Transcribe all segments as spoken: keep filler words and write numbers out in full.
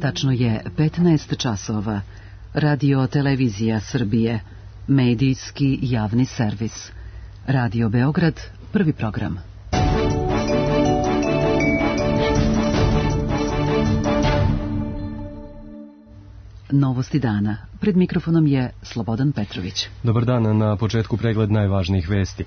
Tačno je petnaest časova. Radio Televizija Srbije, medijski javni servis. Radio Beograd, prvi program. Novosti dana. Pred mikrofonom je Slobodan Petrović. Dobar dan, na početku pregled najvažnijih vesti.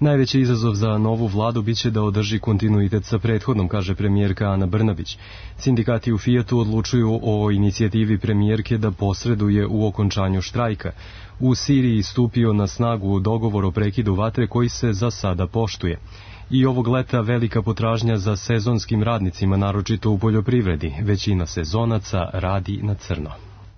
Najveći izazov za novu vladu biće da održi kontinuitet sa prethodnom, kaže premijerka Ana Brnabić. Sindikati u Fijatu odlučuju o inicijativi premijerke da posreduje u okončanju štrajka. U Siriji stupio na snagu dogovor o prekidu vatre koji se za sada poštuje. I ovog leta velika potražnja za sezonskim radnicima, naročito u poljoprivredi. Većina sezonaca radi na crno.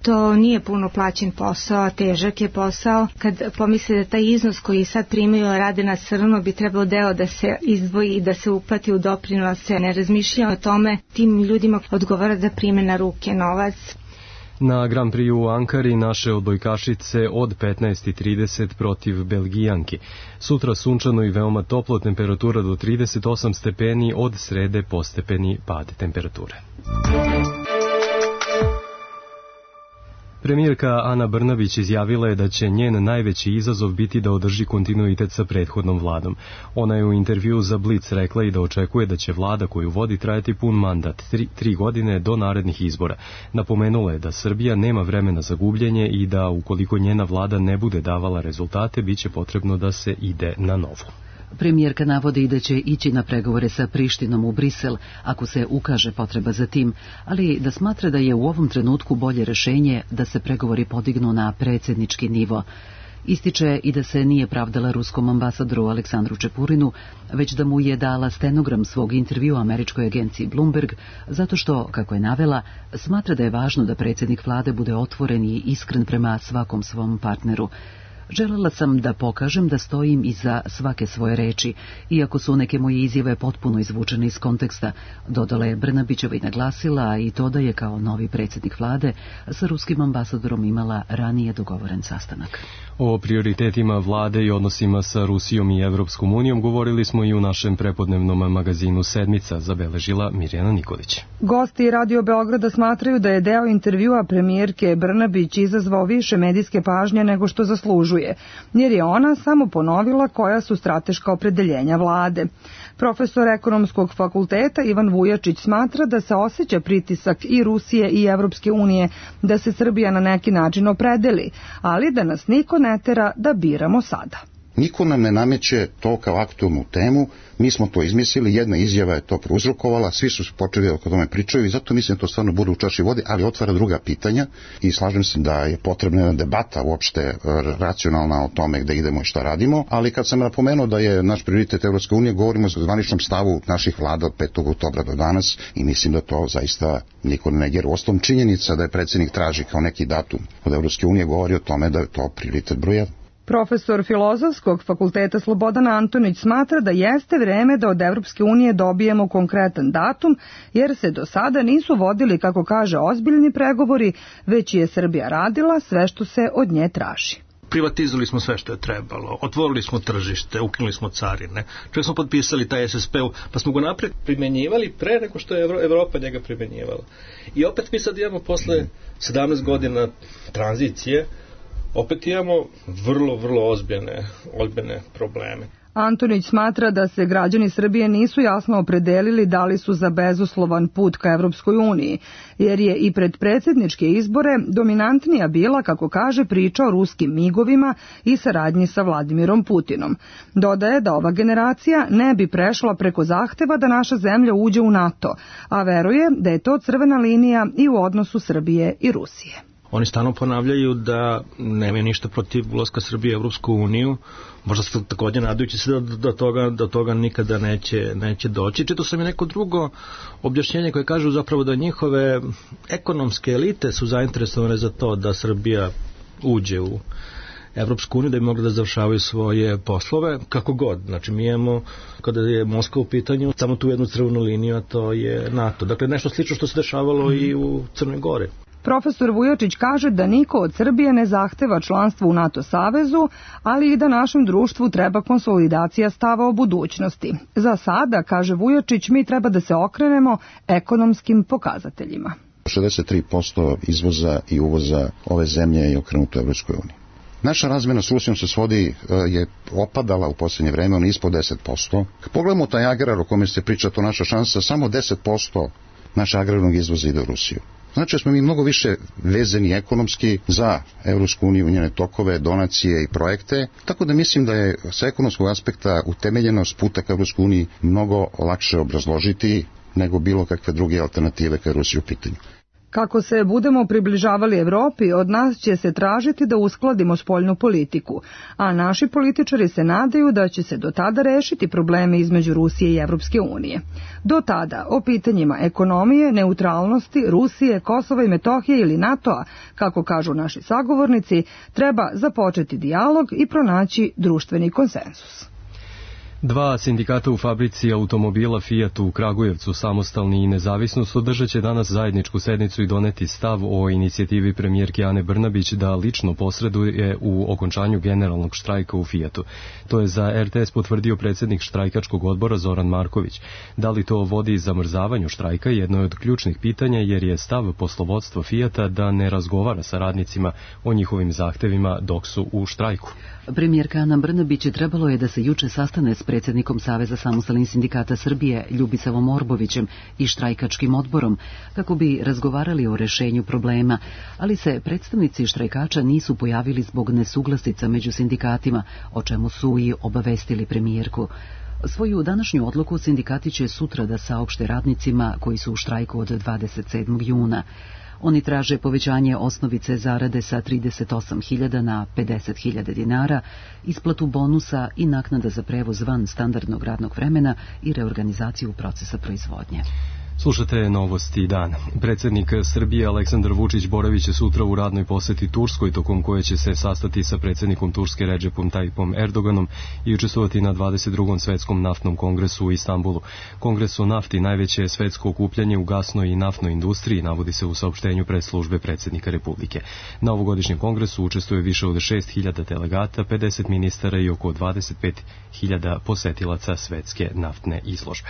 To nije puno plaćen posao, težak je posao. Kad pomisli da taj iznos koji sad primaju rade na crno bi trebalo deo da se izdvoji i da se uplati u doprinose. Ne razmišlja o tome, tim ljudima odgovara da prime na ruke novac. Na Grand Prix u Ankari naše odbojkašice od petnaest i trideset protiv Belgijanki. Sutra sunčano i veoma toplo, temperatura do trideset osam stepeni, od srede postepeni pad temperature. Premijerka Ana Brnabić izjavila je da će njen najveći izazov biti da održi kontinuitet sa prethodnom vladom. Ona je u intervju za Blic rekla i da očekuje da će vlada koju vodi trajati pun mandat, tri, tri godine do narednih izbora. Napomenula je da Srbija nema vremena za gubljenje i da ukoliko njena vlada ne bude davala rezultate, bit će potrebno da se ide na novo. Premijerka navodi da će ići na pregovore sa Prištinom u Brisel ako se ukaže potreba za tim, ali da smatra da je u ovom trenutku bolje rešenje da se pregovori podignu na predsjednički nivo. Ističe i da se nije pravdala ruskom ambasadoru Aleksandru Čepurinu, već da mu je dala stenogram svog intervjua američkoj agenciji Bloomberg, zato što, kako je navela, smatra da je važno da predsjednik vlade bude otvoren i iskren prema svakom svom partneru. Želela sam da pokažem da stojim iza svake svoje reči, iako su neke moje izjave potpuno izvučene iz konteksta, dodala je Brnabićeva i naglasila i to da je kao novi predsjednik vlade sa ruskim ambasadorom imala ranije dogovoren sastanak. O prioritetima vlade i odnosima sa Rusijom i Evropskom unijom govorili smo i u našem prepodnevnom magazinu Sedmica, zabeležila Mirjana Nikolić. Gosti Radio Beograda smatraju da je deo intervjua premijerke Brnabić izazvao više medijske pažnje nego što zaslužuje, jer je ona samo ponovila koja su strateška opredeljenja vlade. Profesor ekonomskog fakulteta Ivan Vujačić smatra da se osjeća pritisak i Rusije i Evropske unije da se Srbija na neki način opredeli, ali da nas niko ne tera da biramo sada. Niko nam ne nameće to kao aktualnu temu, mi smo to izmislili, jedna izjava je to prouzrokovala, svi su počeli o tome pričaju i zato mislim da to stvarno bude u čaši vode, ali otvara druga pitanja i slažem se da je potrebna jedna debata uopšte racionalna o tome gde idemo i šta radimo, ali kad sam napomenuo da je naš prioritet Evropske unije, govorimo o zvaničnom stavu naših vlada od petog oktobra do danas i mislim da to zaista niko ne negira. Uostalom činjenica da je predsjednik traži kao neki datum od Evropske unije govori o tome da je to prioritet broj jedan. Profesor Filozofskog fakulteta Slobodan Antonić smatra da jeste vreme da od Evropske unije dobijemo konkretan datum, jer se do sada nisu vodili, kako kaže, ozbiljni pregovori, već je Srbija radila sve što se od nje traži. Privatizovali smo sve što je trebalo, otvorili smo tržište, ukinuli smo carine, čak smo potpisali taj S S P, pa smo go napred primjenjivali pre nego što je Evropa njega primjenjivala. I opet mi sad imamo posle sedamnaest godina tranzicije, opet imamo vrlo, vrlo ozbiljne, ozbiljne probleme. Antonić smatra da se građani Srbije nisu jasno opredelili da li su za bezuslovan put ka Evropskoj uniji, jer je i pred predsjedničke izbore dominantnija bila, kako kaže, priča o ruskim migovima i saradnji sa Vladimirom Putinom. Dodaje da ova generacija ne bi prešla preko zahteva da naša zemlja uđe u NATO, a veruje da je to crvena linija i u odnosu Srbije i Rusije. Oni stalno ponavljaju da nemaju ništa protiv ulaska Srbije u Evropsku uniju, možda se također nadajući se da do toga, do toga nikada neće, neće doći. Čito sam i neko drugo objašnjenje koje kažu zapravo da njihove ekonomske elite su zainteresovane za to da Srbija uđe u Evropsku uniju, da bi mogli da završavaju svoje poslove, kako god. Znači, mi imamo, kada je Moskva u pitanju, samo tu jednu crvenu liniju, a to je NATO. Dakle, nešto slično što se dešavalo i u Crnoj Gori. Profesor Vujačić kaže da niko od Srbije ne zahteva članstvo u NATO savezu, ali i da našem društvu treba konsolidacija stava o budućnosti. Za sada, kaže Vujačić, mi treba da se okrenemo ekonomskim pokazateljima. šezdeset tri posto izvoza i uvoza ove zemlje je okrenuto Evropskoj uniji. Naša razmjena s Rusijom se svodi, je opadala u posljednje vreme, ono ispod deset posto. Kad pogledamo taj agrar o kome se priča, to naša šansa, samo deset posto naše agrarnog izvoza ide u Rusiju. Znači da smo mi mnogo više vezani ekonomski za Evropsku uniju, njene tokove, donacije i projekte, tako da mislim da je sa ekonomskog aspekta utemeljenost puta ka Evropskoj uniji mnogo lakše obrazložiti nego bilo kakve druge alternative ka Rusiji u pitanju. Kako se budemo približavali Evropi, od nas će se tražiti da uskladimo spoljnu politiku, a naši političari se nadaju da će se do tada rešiti probleme između Rusije i Evropske unije. Do tada, o pitanjima ekonomije, neutralnosti, Rusije, Kosova i Metohije ili NATO-a, kako kažu naši sagovornici, treba započeti dijalog i pronaći društveni konsenzus. Dva sindikata u fabrici automobila Fiat u Kragujevcu, Samostalni i Nezavisnost, održat će danas zajedničku sednicu i doneti stav o inicijativi premijerke Ane Brnabić da lično posreduje u okončanju generalnog štrajka u Fiatu. To je za er te es potvrdio predsjednik štrajkačkog odbora Zoran Marković. Da li to vodi zamrzavanju štrajka jedno je od ključnih pitanja, jer je stav poslovodstva Fiata da ne razgovara sa radnicima o njihovim zahtevima dok su u štrajku. Premijerka Ana Brnabić trebalo je da se juče sastane s predsjednikom Saveza samostalnih sindikata Srbije Ljubisavom Orbovićem i štrajkačkim odborom kako bi razgovarali o rešenju problema, ali se predstavnici štrajkača nisu pojavili zbog nesuglasica među sindikatima, o čemu su i obavestili premijerku. Svoju današnju odluku sindikati će sutra da saopšte radnicima koji su u štrajku od dvadeset sedmog juna. Oni traže povećanje osnovice zarade sa trideset osam hiljada na pedeset hiljada dinara, isplatu bonusa i naknada za prevoz van standardnog radnog vremena i reorganizaciju procesa proizvodnje. Slušate novosti dana. Predsjednik Srbije Aleksandar Vučić boravit će sutra u radnoj poseti Turskoj, tokom koje će se sastati sa predsjednikom Turske Redžepom Tayyipom Erdoganom i učestvovati na dvadeset drugom svetskom naftnom kongresu u Istanbulu. Kongres o nafti najveće je svetsko okupljanje u gasnoj i naftnoj industriji, navodi se u saopštenju predslužbe predsjednika Republike. Na ovogodišnjem kongresu učestvuje više od šest hiljada delegata, pedeset ministara i oko dvadeset pet hiljada posetilaca svetske naftne izložbe.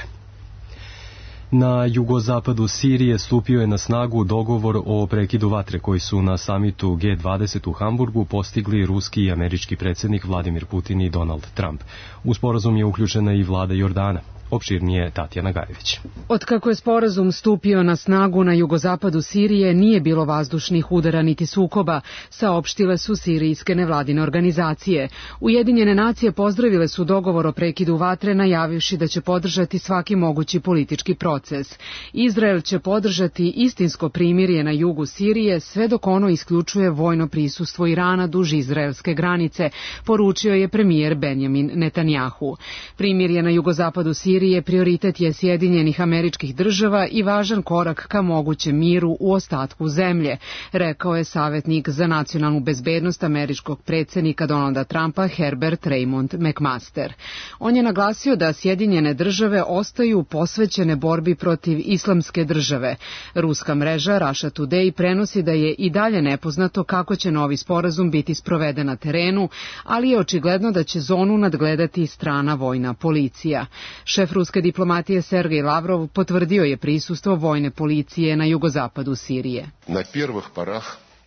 Na jugozapadu Sirije stupio je na snagu dogovor o prekidu vatre koji su na samitu ge dvadeset u Hamburgu postigli ruski i američki predsjednik Vladimir Putin i Donald Trump. U sporazum je uključena i vlada Jordana. Opširnije Tatjana Gajević. Otkako je sporazum stupio na snagu na jugozapadu Sirije, nije bilo vazdušnih udara niti sukoba, saopštile su sirijske nevladine organizacije. Ujedinjene nacije pozdravile su dogovor o prekidu vatre, najavivši da će podržati svaki mogući politički proces. Izrael će podržati istinsko primirje na jugu Sirije, sve dok ono isključuje vojno prisustvo Irana duž izraelske granice, poručio je premijer Benjamin Netanjahu. Primirje na jugozapadu Sirije Sirije prioritet je Sjedinjenih Američkih Država i važan korak ka mogućem miru u ostatku zemlje, rekao je savjetnik za nacionalnu bezbednost američkog predsjednika Donalda Trumpa Herbert Raymond McMaster. On je naglasio da Sjedinjene Države ostaju posvećene borbi protiv islamske države. Ruska mreža Russia Today prenosi da je i dalje nepoznato kako će novi sporazum biti sproveden na terenu, ali je očigledno da će zonu nadgledati strana vojna policija. Šef ruske diplomatije Sergej Lavrov potvrdio je prisustvo vojne policije na jugozapadu Sirije.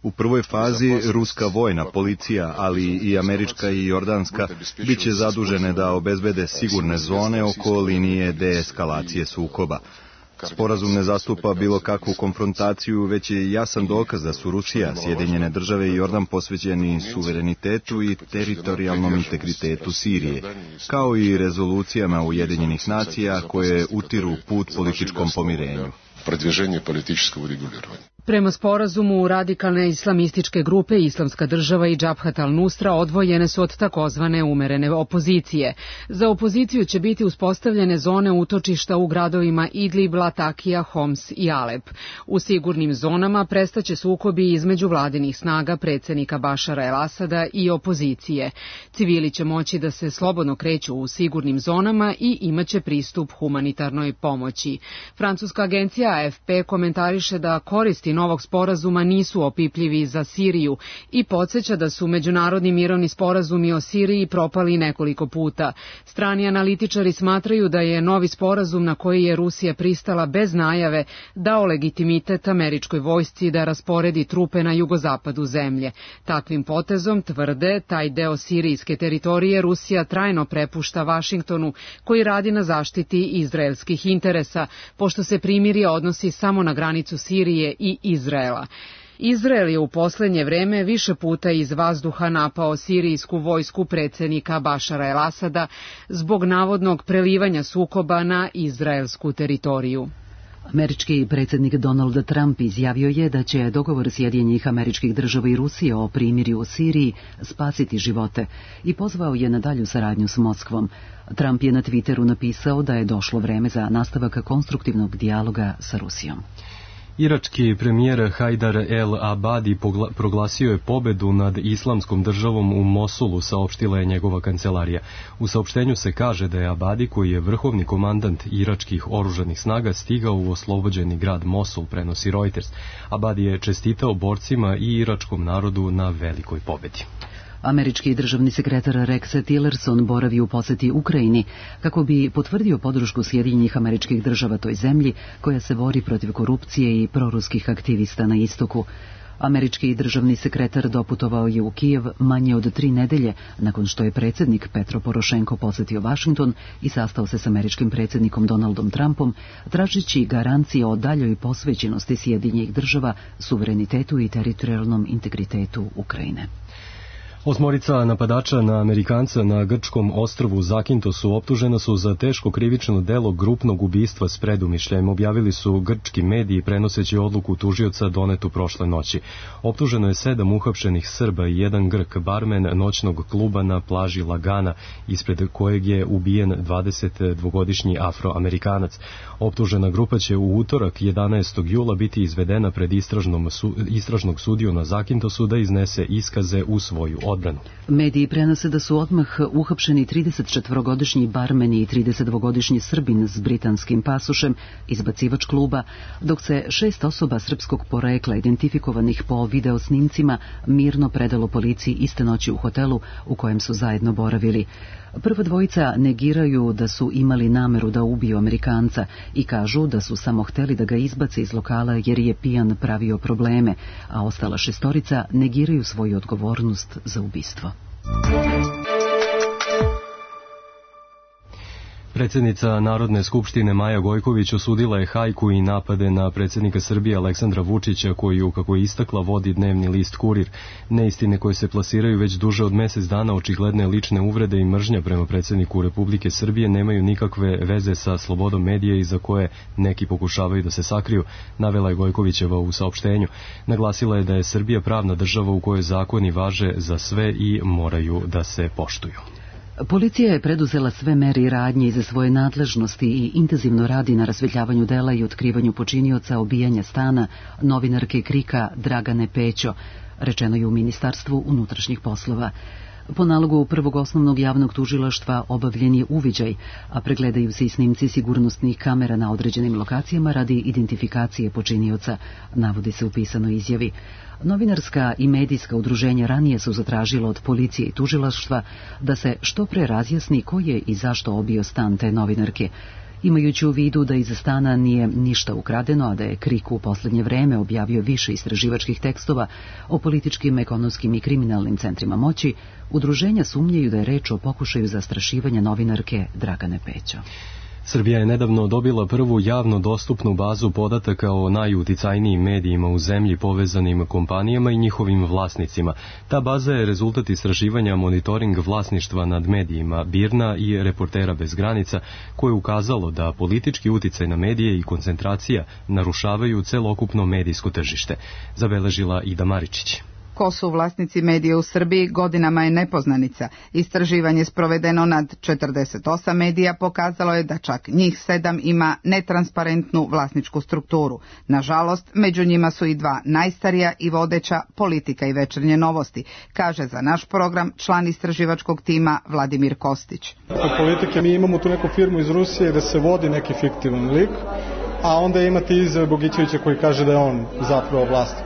U prvoj fazi ruska vojna policija, ali i američka i jordanska, bit će zadužene da obezbede sigurne zone oko linije deeskalacije sukoba. Sporazum ne zastupa bilo kakvu konfrontaciju, već je jasan dokaz da su Rusija, Sjedinjene Države i Jordan posvećeni suverenitetu i teritorijalnom integritetu Sirije, kao i rezolucijama Ujedinjenih nacija koje utiru put političkom pomirenju. Prema sporazumu, radikalne islamističke grupe Islamska država i Džabhat al-Nusra odvojene su od takozvane umerene opozicije. Za opoziciju će biti uspostavljene zone utočišta u gradovima Idlib, Latakija, Homs i Alep. U sigurnim zonama prestaće sukobi između vladinih snaga predsjednika Bašara el-Asada i opozicije. Civili će moći da se slobodno kreću u sigurnim zonama i imaće pristup humanitarnoj pomoći. Francuska agencija A F P komentariše da koristi novog sporazuma nisu opipljivi za Siriju i podsjeća da su međunarodni mirovni sporazumi o Siriji propali nekoliko puta. Strani analitičari smatraju da je novi sporazum na koji je Rusija pristala bez najave dao legitimitet američkoj vojsci da rasporedi trupe na jugozapadu zemlje. Takvim potezom, tvrde, taj deo sirijske teritorije Rusija trajno prepušta Vašingtonu, koji radi na zaštiti izraelskih interesa, pošto se primirje odnosi samo na granicu Sirije i Izraela. Izrael je u poslednje vreme više puta iz vazduha napao sirijsku vojsku predsednika Bašara el-Asada zbog navodnog prelivanja sukoba na izraelsku teritoriju. Američki predsjednik Donald Trump izjavio je da će dogovor Sjedinjenih Američkih Država i Rusije o primirju u Siriji spasiti živote i pozvao je na dalju saradnju s Moskvom. Trump je na Twitteru napisao da je došlo vreme za nastavak konstruktivnog dijaloga sa Rusijom. Irački premijer Hajdar el-Abadi proglasio je pobedu nad islamskom državom u Mosulu, saopštila je njegova kancelarija. U saopštenju se kaže da je Abadi, koji je vrhovni komandant iračkih oružanih snaga, stigao u oslobođeni grad Mosul, prenosi Reuters. Abadi je čestitao borcima i iračkom narodu na velikoj pobedi. Američki državni sekretar Rex Tillerson boravi u poseti Ukrajini kako bi potvrdio podršku Sjedinjenih Američkih Država toj zemlji koja se bori protiv korupcije i proruskih aktivista na istoku. Američki državni sekretar doputovao je u Kijev manje od tri nedelje nakon što je predsjednik Petro Porošenko posetio Vašington i sastao se s američkim predsjednikom Donaldom Trumpom, tražeći garancije o daljoj posvećenosti Sjedinjenih Država, suverenitetu i teritorijalnom integritetu Ukrajine. Osmorica napadača na Amerikanca na grčkom ostrvu Zakintosu optužena su za teško krivično delo grupnog ubistva s predumišljajem, objavili su grčki mediji prenoseći odluku tužioca donetu prošle noći. Optuženo je sedam uhapšenih Srba i jedan Grk, barmen noćnog kluba na plaži Lagana, ispred kojeg je ubijen dvadesetdvogodišnji Afroamerikanac. Optužena grupa će u utorak jedanaestog jula biti izvedena pred istražnom su, istražnog sudiju na Zakintosu da iznese iskaze u svoju odbranu. Mediji prenose da su odmah uhapšeni tridesetčetvorogodišnji barmen i tridesetdvogodišnji Srbin s britanskim pasošem, izbacivač kluba, dok se šest osoba srpskog porekla identifikovanih po videosnimcima mirno predalo policiji iste noći u hotelu u kojem su zajedno boravili. Prva dvojica negiraju da su imali nameru da ubiju Amerikanca i kažu da su samo hteli da ga izbace iz lokala jer je pijan pravio probleme, a ostala šestorica negiraju svoju odgovornost za ubistvo. Predsjednica Narodne skupštine Maja Gojković osudila je hajku i napade na predsjednika Srbije Aleksandra Vučića, koju, kako je istakla, vodi dnevni list Kurir. Neistine koje se plasiraju već duže od mjesec dana, očigledne lične uvrede i mržnja prema predsjedniku Republike Srbije nemaju nikakve veze sa slobodom medija i za koje neki pokušavaju da se sakriju, navela je Gojkovićeva u saopštenju. Naglasila je da je Srbija pravna država u kojoj zakoni važe za sve i moraju da se poštuju. Policija je preduzela sve mere i radnje iza svoje nadležnosti i intenzivno radi na rasvetljavanju dela i otkrivanju počinioca obijanja stana novinarke Krika Dragane Pećo, rečeno je u Ministarstvu unutrašnjih poslova. Po nalogu prvog osnovnog javnog tužilaštva obavljen je uviđaj, a pregledaju se i snimci sigurnosnih kamera na određenim lokacijama radi identifikacije počinioca, navodi se u pisanoj izjavi. Novinarska i medijska udruženja ranije su zatražila od policije i tužilaštva da se što pre razjasni ko je i zašto obio stan te novinarke. Imajući u vidu da iz stana nije ništa ukradeno, a da je Krik u posljednje vreme objavio više istraživačkih tekstova o političkim, ekonomskim i kriminalnim centrima moći, udruženja sumnjaju da je reč o pokušaju zastrašivanja novinarke Dragane Pećo. Srbija je nedavno dobila prvu javno dostupnu bazu podataka o najuticajnijim medijima u zemlji povezanim kompanijama i njihovim vlasnicima. Ta baza je rezultat istraživanja monitoring vlasništva nad medijima Birna i Reportera bez granica, koje je ukazalo da politički uticaj na medije i koncentracija narušavaju celokupno medijsko tržište, zabeležila Ida Maričić. Ko su vlasnici medija u Srbiji godinama je nepoznanica. Istraživanje sprovedeno nad četrdeset osam medija pokazalo je da čak njih sedam ima netransparentnu vlasničku strukturu. Nažalost, među njima su i dva najstarija i vodeća, Politika i Večernje novosti, kaže za naš program član istraživačkog tima Vladimir Kostić. Kod Politike mi imamo tu neku firmu iz Rusije da se vodi neki fiktivan lik a onda imate izjave Bogićevića koji kaže da je on zapravo vlasnik.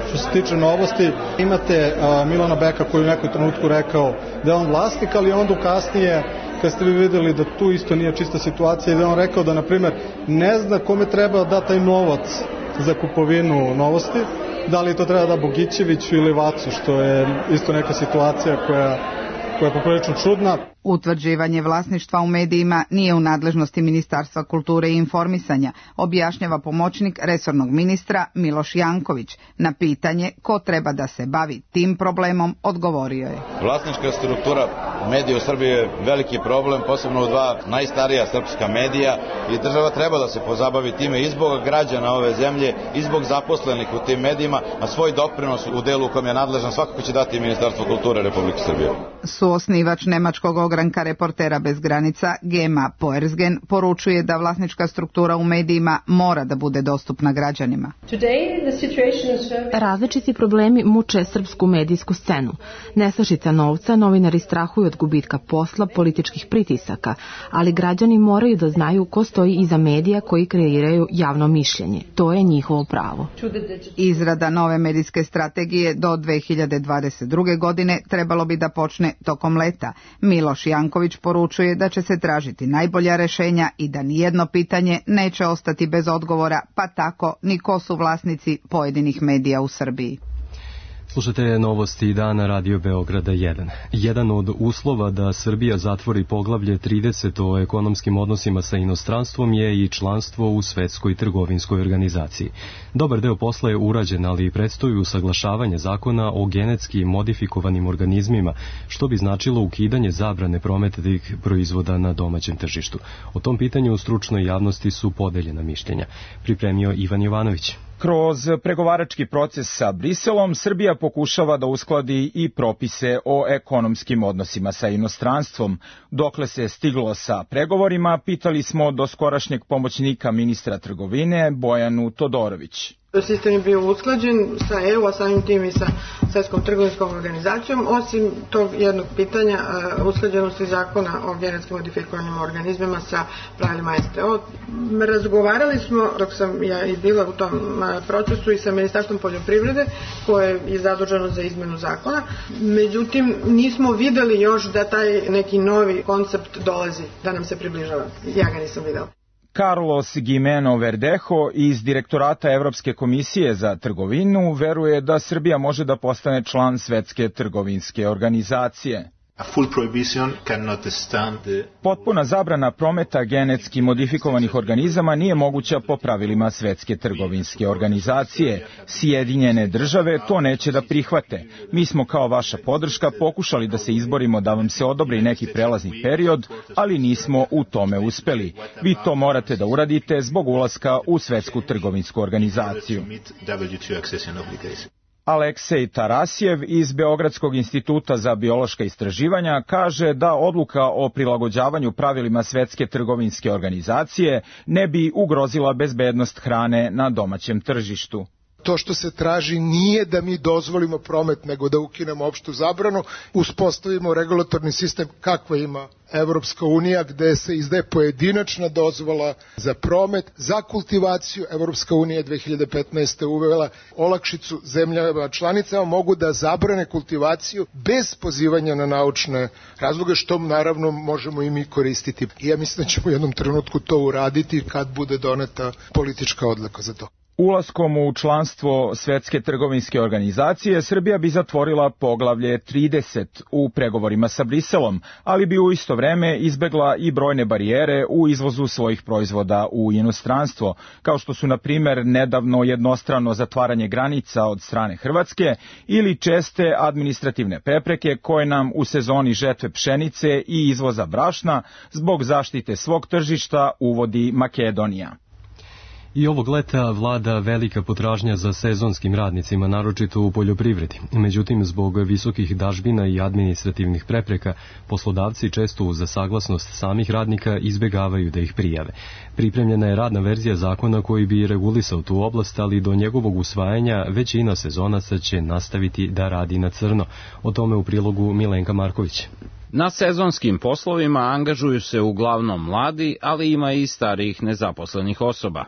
Što se tiče novosti, imate uh, Milana Beka koji u nekoj trenutku rekao da je on vlasnik, ali onda kasnije, kad ste vi videli da tu isto nije čista situacija, i da je on rekao da, na primjer, ne zna kome treba da taj novac za kupovinu novosti, da li to treba da Bogićeviću ili Vacu, što je isto neka situacija koja, koja je poprilično čudna. Utvrđivanje vlasništva u medijima nije u nadležnosti Ministarstva kulture i informisanja, objašnjava pomoćnik resornog ministra Miloš Janković. Na pitanje ko treba da se bavi tim problemom odgovorio je. Vlasnička struktura medija u Srbiji je veliki problem, posebno u dva najstarija srpska medija, i država treba da se pozabavi time i zbog građana ove zemlje i zbog zaposlenih u tim medijima, a svoj doprinos u delu u kojem je nadležan svakako će dati Ministarstvo kulture Republike Srbije. Suosnivač nemačkog ogranka Reportera bez granica Gema Poersgen poručuje da vlasnička struktura u medijima mora da bude dostupna građanima. Različiti problemi muče srpsku medijsku scenu. Nestašica novca, novinari strahuju od gubitka posla, političkih pritisaka, ali građani moraju da znaju ko stoji iza medija koji kreiraju javno mišljenje. To je njihovo pravo. Izrada nove medijske strategije do dve hiljade dvadeset druge. godine trebalo bi da počne tokom leta. Miloš Janković poručuje da će se tražiti najbolja rešenja i da nijedno pitanje neće ostati bez odgovora, pa tako ni ko su vlasnici pojedinih medija u Srbiji. Slušajte novosti dana Radio Beograda jedan. Jedan od uslova da Srbija zatvori poglavlje trideset o ekonomskim odnosima sa inostranstvom je i članstvo u Svetskoj trgovinskoj organizaciji. Dobar deo posla je urađen, ali predstoji usaglašavanje zakona o genetski modifikovanim organizmima, što bi značilo ukidanje zabrane prometa tih proizvoda na domaćem tržištu. O tom pitanju u stručnoj javnosti su podeljena mišljenja. Pripremio Ivan Jovanović. Kroz pregovarački proces sa Briselom, Srbija pokušava da uskladi i propise o ekonomskim odnosima sa inostranstvom. Dokle se stiglo sa pregovorima, pitali smo doskorašnjeg pomoćnika ministra trgovine Bojanu Todorović. Sistem je bio usklađen sa E U, a samim tim i sa Svetskom trgovinskom organizacijom, osim tog jednog pitanja usklađenosti zakona o genetski modifikovanim organizmima sa pravilima S T O. Razgovarali smo, dok sam ja i bila u tom procesu, i sa Ministarstvom poljoprivrede, koje je zaduženo za izmenu zakona. Međutim, nismo videli još da taj neki novi koncept dolazi, da nam se približava. Ja ga nisam videla. Carlos Gimeno Verdejo iz Direktorata Evropske komisije za trgovinu veruje da Srbija može da postane član Svetske trgovinske organizacije. Potpuna zabrana prometa genetski modifikovanih organizama nije moguća po pravilima Svetske trgovinske organizacije. Sjedinjene države to neće da prihvate. Mi smo kao vaša podrška pokušali da se izborimo da vam se odobri neki prelazni period, ali nismo u tome uspeli. Vi to morate da uradite zbog ulaska u Svetsku trgovinsku organizaciju. Aleksej Tarasjev iz Beogradskog instituta za biološka istraživanja kaže da odluka o prilagođavanju pravilima Svetske trgovinske organizacije ne bi ugrozila bezbednost hrane na domaćem tržištu. To što se traži nije da mi dozvolimo promet, nego da ukinemo opštu zabranu, uspostavimo regulatorni sistem kakva ima Evropska unija, gde se izdaje pojedinačna dozvola za promet, za kultivaciju. Evropska unija dve hiljade petnaeste. uvela olakšicu zemljama članicama, mogu da zabrane kultivaciju bez pozivanja na naučne razloge, što naravno možemo i mi koristiti. I ja mislim da ćemo u jednom trenutku to uraditi kad bude doneta politička odluka za to. Ulaskom u članstvo Svetske trgovinske organizacije, Srbija bi zatvorila poglavlje trideset u pregovorima sa Briselom, ali bi u isto vreme izbegla i brojne barijere u izvozu svojih proizvoda u inostranstvo, kao što su, na primer, nedavno jednostrano zatvaranje granica od strane Hrvatske ili česte administrativne prepreke koje nam u sezoni žetve pšenice i izvoza brašna zbog zaštite svog tržišta uvodi Makedonija. I ovog leta vlada velika potražnja za sezonskim radnicima, naročito u poljoprivredi. Međutim, zbog visokih dažbina i administrativnih prepreka, poslodavci često uz saglasnost samih radnika izbegavaju da ih prijave. Pripremljena je radna verzija zakona koji bi regulisao tu oblast, ali do njegovog usvajanja većina sezonaca će nastaviti da radi na crno. O tome u prilogu Milenka Marković. Na sezonskim poslovima angažuju se uglavnom mladi, ali ima i starijih nezaposlenih osoba.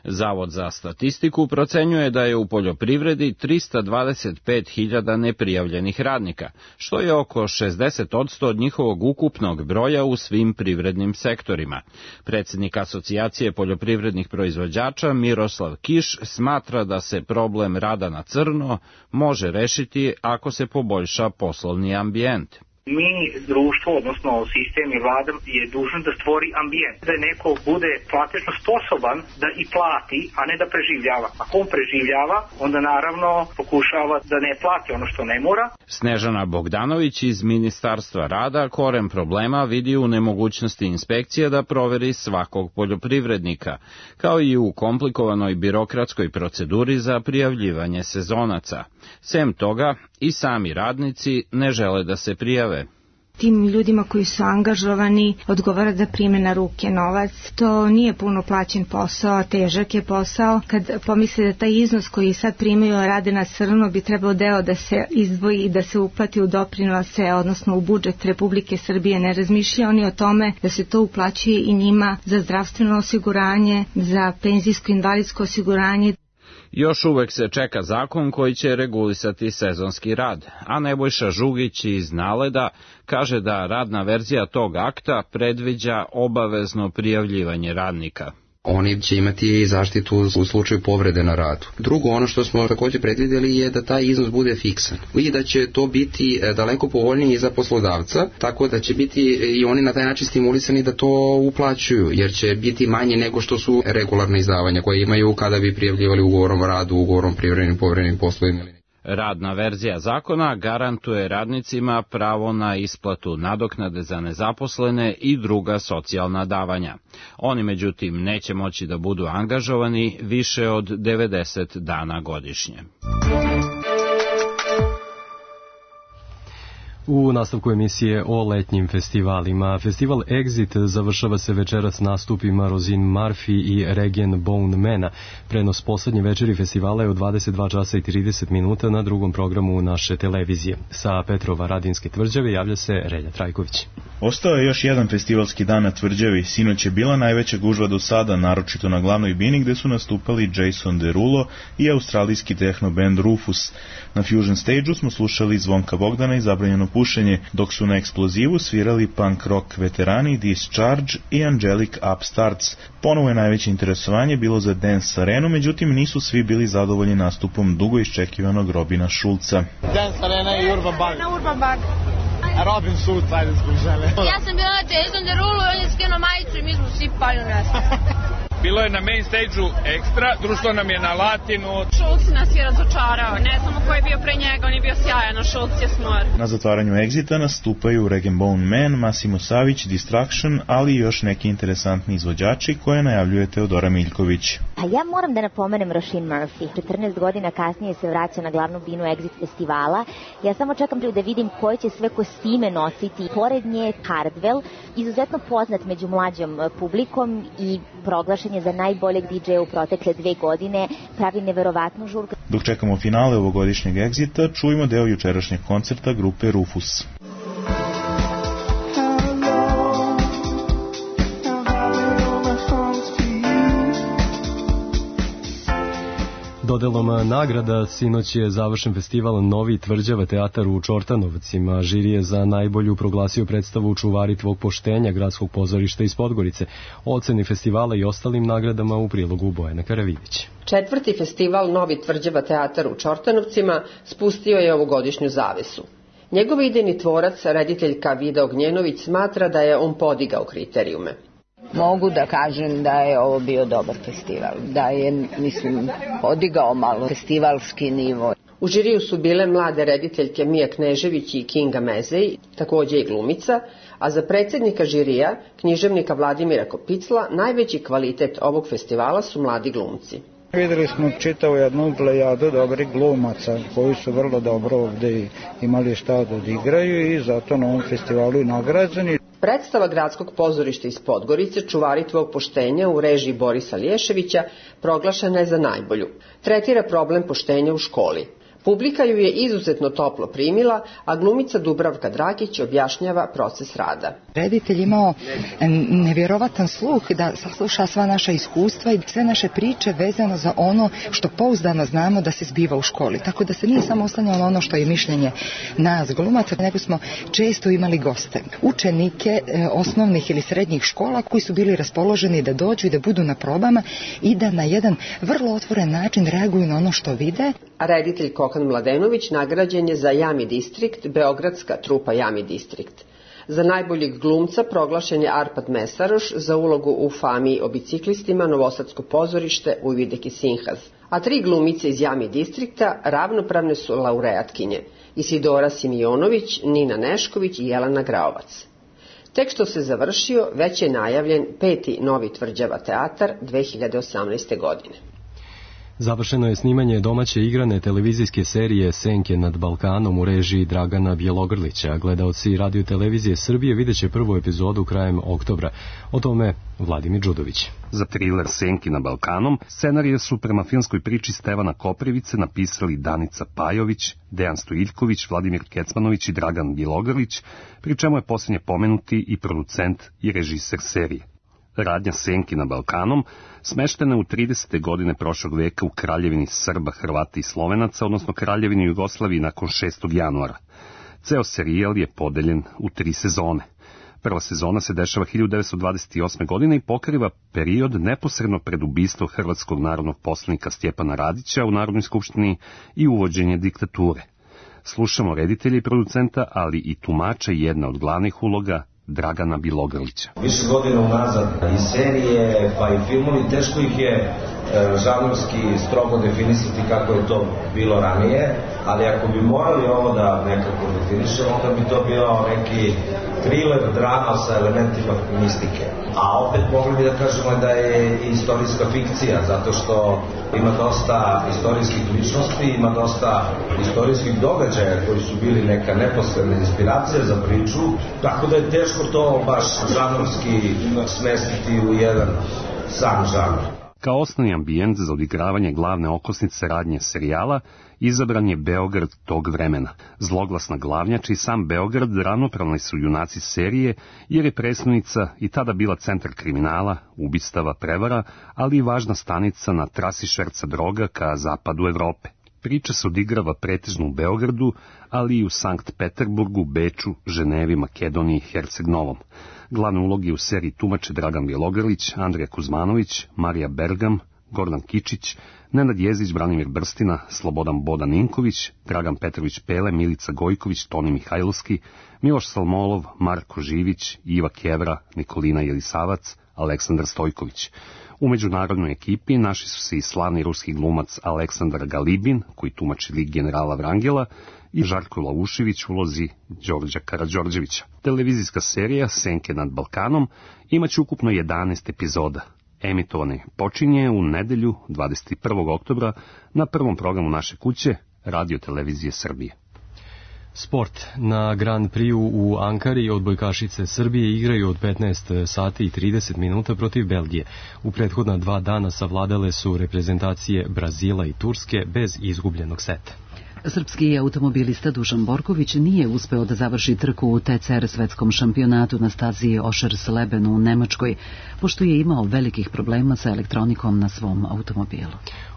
Zavod za statistiku procenjuje da je u poljoprivredi trista dvadeset pet hiljada neprijavljenih radnika, što je oko šezdeset posto od njihovog ukupnog broja u svim privrednim sektorima. Predsjednik Asocijacije poljoprivrednih proizvođača Miroslav Kiš smatra da se problem rada na crno može rešiti ako se poboljša poslovni ambijent. Mi, društvo, odnosno sistem i vlada je dužan da stvori ambijent, da neko bude platežno sposoban da i plati, a ne da preživljava. Ako on preživljava, onda naravno pokušava da ne plati ono što ne mora. Snežana Bogdanović iz Ministarstva rada koren problema vidi u nemogućnosti inspekcije da proveri svakog poljoprivrednika, kao i u komplikovanoj birokratskoj proceduri za prijavljivanje sezonaca. Sem toga, i sami radnici ne žele da se prijave. Tim ljudima koji su angažovani odgovara da prime na ruke novac. To nije puno plaćen posao, težak je posao. Kad pomisle da taj iznos koji sad primaju rade na crno bi trebalo deo da se izdvoji i da se uplati u doprinose, odnosno u budžet Republike Srbije, ne razmišljaju oni o tome da se to uplaćuje i njima za zdravstveno osiguranje, za penzijsko invalidsko osiguranje. Još uvek se čeka zakon koji će regulisati sezonski rad, a Nebojša Žugić iz Naleda kaže da radna verzija tog akta predviđa obavezno prijavljivanje radnika. Oni će imati zaštitu u slučaju povrede na radu. Drugo, ono što smo također predvidjeli je da taj iznos bude fiksan i da će to biti daleko povoljniji za poslodavca, tako da će biti i oni na taj način stimulisani da to uplaćuju, jer će biti manje nego što su regularne izdavanja koje imaju kada bi prijavljivali ugovorom o radu, ugovorom privremenim povremenim poslovima. Radna verzija zakona garantuje radnicima pravo na isplatu nadoknade za nezaposlene i druga socijalna davanja. Oni međutim neće moći da budu angažovani više od devedeset dana godišnje. U nastavku emisije o letnjim festivalima. Festival Exit završava se večeras nastupima Roisin Murphy i Regen Bone Mana. Prenos poslednje večeri festivala je u dvadeset dva časa i trideset minuta na drugom programu naše televizije. Sa Petrova Radinske tvrđave javlja se Relja Trajković. Ostao je još jedan festivalski dan na tvrđavi. Sinoć je bila najveća gužva do sada, naročito na glavnoj bini gde su nastupali Jason Derulo i australijski tehno band Rufus. Na Fusion Stage-u smo slušali Zvonka Bogdana i Zabranjeno pušenje, dok su na eksplozivu svirali punk rock veterani Discharge i Angelic Upstarts. Ponovo je najveće interesovanje bilo za Dance Arenu, međutim nisu svi bili zadovoljni nastupom dugo iščekivanog Robina Šulca. Dance Arena i Urban Bar. Na Urban Bar. Robin Schulz, ajde zgužele. Ja sam bila na Jason Derulo i on je skinuo majicu i mi smo svi pali u nesme. Bilo je na main stage-u ekstra, društvo nam je na Latinu. Šulc nas je razočarao, ne znamo ko je bio pre njega, on je bio sjajan, a Šulc je smor. Na zatvaranju Exita nastupaju Regen Bone Man, Massimo Savić, Distraction, ali i još neki interesantni izvođači koje najavljuje Teodora Miljković. A ja moram da napomenem Roisin Murphy. četrnaest godina kasnije se vraća na glavnu binu Exit festivala. Ja samo čekam da vidim koje će sve kostime nositi. Pored nje Hardwell, izuzetno poznat među mlađom publikom i proglašen je za najboljeg di džeja u protekle dve godine, pravi neverovatnu žurku. Dok čekamo finale ovogodišnjeg Exita, čujemo deo jučerašnjeg koncerta grupe Rufus. Dodelom nagrada sinoć je završen festival Novi Tvrđava teatar u Čortanovcima. Žiri je za najbolju proglasio predstavu Čuvari tvog poštenja Gradskog pozorišta iz Podgorice. O oceni festivala i ostalim nagradama u prilogu Bojana Karavidić. Četvrti festival Novi Tvrđava teatar u Čortanovcima spustio je ovogodišnju zavesu. Njegov idejni tvorac, rediteljka Vida Ognjenović, smatra da je on podigao kriterijume. Mogu da kažem da je ovo bio dobar festival, da je, mislim, podigao malo festivalski nivo. U žiriju su bile mlade rediteljke Mija Knežević i Kinga Mezej, takođe i glumica, a za predsjednika žirija, književnika Vladimira Kopicla, najveći kvalitet ovog festivala su mladi glumci. Videli smo čitavu jednu plejadu dobrih glumaca koji su vrlo dobro ovde imali šta da odigraju i zato na ovom festivalu i nagrađeni. Predstava Gradskog pozorišta iz Podgorice Čuvari tvog poštenja u režiji Borisa Lješevića proglašena je za najbolju. Tretira problem poštenja u školi. Publika ju je izuzetno toplo primila, a glumica Dubravka Dragić objašnjava proces rada. Reditelj imao nevjerovatan sluh da sasluša sva naša iskustva i sve naše priče vezano za ono što pouzdano znamo da se zbiva u školi. Tako da se nije samo oslanjalo ono što je mišljenje nas glumaca, nego smo često imali goste. Učenike e, osnovnih ili srednjih škola koji su bili raspoloženi da dođu i da budu na probama i da na jedan vrlo otvoren način reaguju na ono što vide. A reditelj Kokan Mladenović nagrađen je za Jami Distrikt, beogradska trupa Jami Distrikt. Za najboljeg glumca proglašen je Arpad Mesaroš za ulogu u Fami o biciklistima, Novosadsko pozorište, Ujvidek i Sinhaz. A tri glumice iz Jami Distrikta ravnopravne su laureatkinje: Isidora Simionović, Nina Nešković i Jelena Graovac. Tek što se završio, već je najavljen peti Novi Tvrđava teatar dve hiljade osamnaeste. godine. Završeno je snimanje domaće igrane televizijske serije Senke nad Balkanom u režiji Dragana Bjelogrlića. Gledaoci Radio Televizije Srbije vidjet će prvu epizodu krajem oktobra. O tome Vladimir Đudović. Za triler Senki na Balkanom scenarije su prema filmskoj priči Stevana Koprivice napisali Danica Pajović, Dejan Stojiljković, Vladimir Kecmanović i Dragan Bjelogrlić, pri čemu je posljednje pomenuti i producent i režiser serije. Radnja Senki na Balkanom smeštena je u tridesete godine prošlog veka u Kraljevini Srba, Hrvata i Slovenaca, odnosno Kraljevini Jugoslaviji nakon šestog januara. Ceo serijal je podeljen u tri sezone. Prva sezona se dešava hiljadu devetsto dvadeset osme. godine i pokriva period neposredno pred ubistvom hrvatskog narodnog poslanika Stjepana Radića u Narodnoj skupštini i uvođenje diktature. Slušamo reditelja i producenta, ali i tumača jedna od glavnih uloga, Dragana Bjelogrlića. Više godina unazad i serije, pa i filmovi, teško ih je e, žanrovski strogo definisati kako je to bilo ranije, ali ako bi morali ovo da nekako definišemo, onda bi to bio neki thriller, drama sa elementima mistike. A opet mogli bi da kažemo da je istorijska fikcija, zato što ima dosta istorijskih ličnosti, ima dosta istorijskih događaja koji su bili neka neposredna inspiracija za priču, tako da je teško to baš žanrovski smestiti u jedan sam žanr. Kao osnovni ambijent za odigravanje glavne okosnice radnje serijala izabran je Beograd tog vremena. Zloglasna glavnjača i sam Beograd ravnopravni su junaci serije, jer je prestonica i tada bila centar kriminala, ubistava, prevara, ali i važna stanica na trasi šverca droga ka zapadu Evrope. Priča se odigrava pretežno u Beogradu, ali i u Sankt Peterburgu, Beču, Ženevi, Makedoniji i Herceg Novom. Glavne uloge u seriji tumače Dragan Bjelogrlić, Andrija Kuzmanović, Marija Bergam, Gordan Kičić, Nenad Jezdić, Branimir Brstina, Slobodan Bodan Ninković, Dragan Petrović Pele, Milica Gojković, Toni Mihajlovski, Miloš Salmolov, Marko Živić, Iva Kevra, Nikolina Jelisavac, Aleksandar Stojković. U međunarodnoj ekipi naši su se i slavni ruski glumac Aleksandar Galibin, koji tumači lik generala Vrangela, i Žarko Laušević u ulozi Đorđa Karađorđevića. Televizijska serija Senke nad Balkanom imaće ukupno jedanaest epizoda. Emitovane počinje u nedelju dvadeset prvog oktobra na prvom programu naše kuće, Radio Televizije Srbije. Sport. Na Grand Prix u Ankari odbojkašice Srbije igraju od petnaest sati i trideset minuta protiv Belgije. U prethodna dva dana savladale su reprezentacije Brazila i Turske bez izgubljenog seta. Srpski automobilista Dušan Borković nije uspeo da završi trku u T C R svetskom šampionatu na stazi Oschersleben u Nemačkoj, pošto je imao velikih problema sa elektronikom na svom automobilu.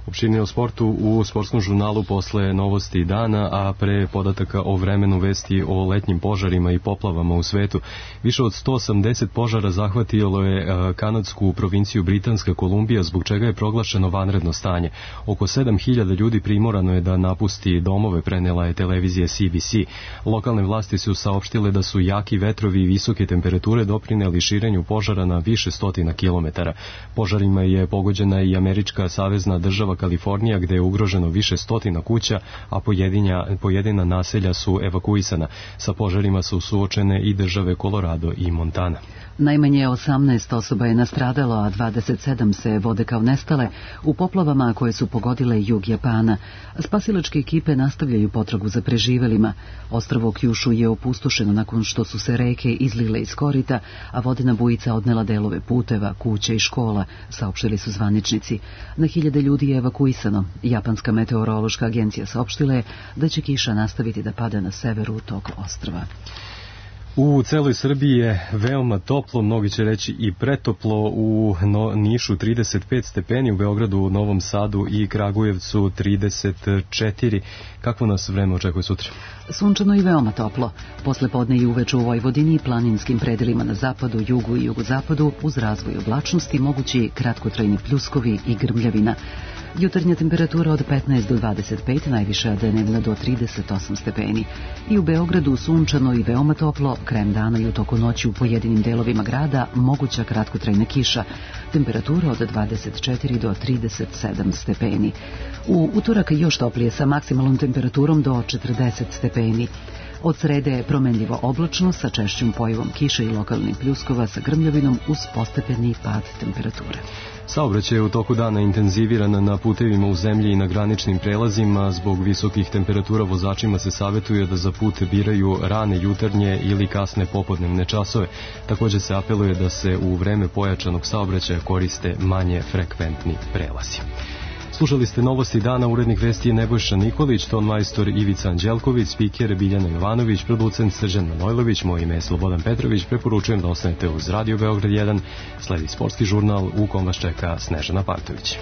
Opširnije o sportu u sportskom žurnalu posle novosti dana, a pre podataka o vremenu vesti o letnjim požarima i poplavama u svetu. Više od sto osamdeset požara zahvatilo je kanadsku provinciju Britanska Kolumbija, zbog čega je proglašeno vanredno stanje. Oko sedam hiljada ljudi primorano je da napusti domove, prenela je televizija C B C. Lokalne vlasti su saopštile da su jaki vetrovi i visoke temperature doprineli širenju požara na više stotina kilometara. Požarima je pogođena i američka savezna država Kalifornija, gde je ugroženo više stotina kuća, a pojedinja, pojedina naselja su evakuisana. Sa požarima su suočene i države Colorado i Montana. Najmanje osamnaest osoba je nastradalo, a dvadeset sedam se vode kao nestale u poplavama koje su pogodile jug Japana. Spasilačke ekipe nastavljaju potragu za preživelima. Ostrvo Kjušu je opustošeno nakon što su se reke izlile iz korita, a vodena bujica odnela delove puteva, kuća i škola, saopštili su zvaničnici. Na hiljade ljudi je evakuisano. Japanska meteorološka agencija saopštila je da će kiša nastaviti da pada na severu tog ostrva. U celoj Srbiji je veoma toplo, mnogi će reći i pretoplo, u Nišu trideset pet stepeni, u Beogradu, Novom Sadu i Kragujevcu trideset četiri. Kakvo nas vreme očekuje sutra? Sunčano i veoma toplo. Posle podne i uveče u Vojvodini i planinskim predelima na zapadu, jugu i jugozapadu uz razvoj oblačnosti mogući kratkotrajni pljuskovi i grmljavina. Jutarnja temperatura od petnaest do dvadeset pet, najviša dnevna do trideset osam stepeni. I u Beogradu sunčano i veoma toplo, krajem dana i u toku noći u pojedinim delovima grada moguća kratkotrajna kiša. Temperatura od dvadeset četiri do trideset sedam stepeni. U utorak još toplije sa maksimalnom temperaturom do četrdeset stepeni. Od srede je promenljivo oblačno sa češćom pojavom kiše i lokalnih pljuskova sa grmljavinom uz postepeni pad temperature. Saobraćaj je u toku dana intenziviran na putevima u zemlji i na graničnim prelazima. Zbog visokih temperatura vozačima se savjetuje da za put biraju rane jutarnje ili kasne popodnevne časove. Također se apeluje da se u vreme pojačanog saobraćaja koriste manje frekventni prelazi. Slušali ste novosti dana, urednik vesti je Nebojša Nikolić, ton majstor Ivica Anđelković, spiker Biljana Jovanović, producent Srđan Manojlović, moje ime je Slobodan Petrović, preporučujem da ostanete uz Radio Beograd jedan, sledi sportski žurnal u kom vas čeka Snežana Pantović.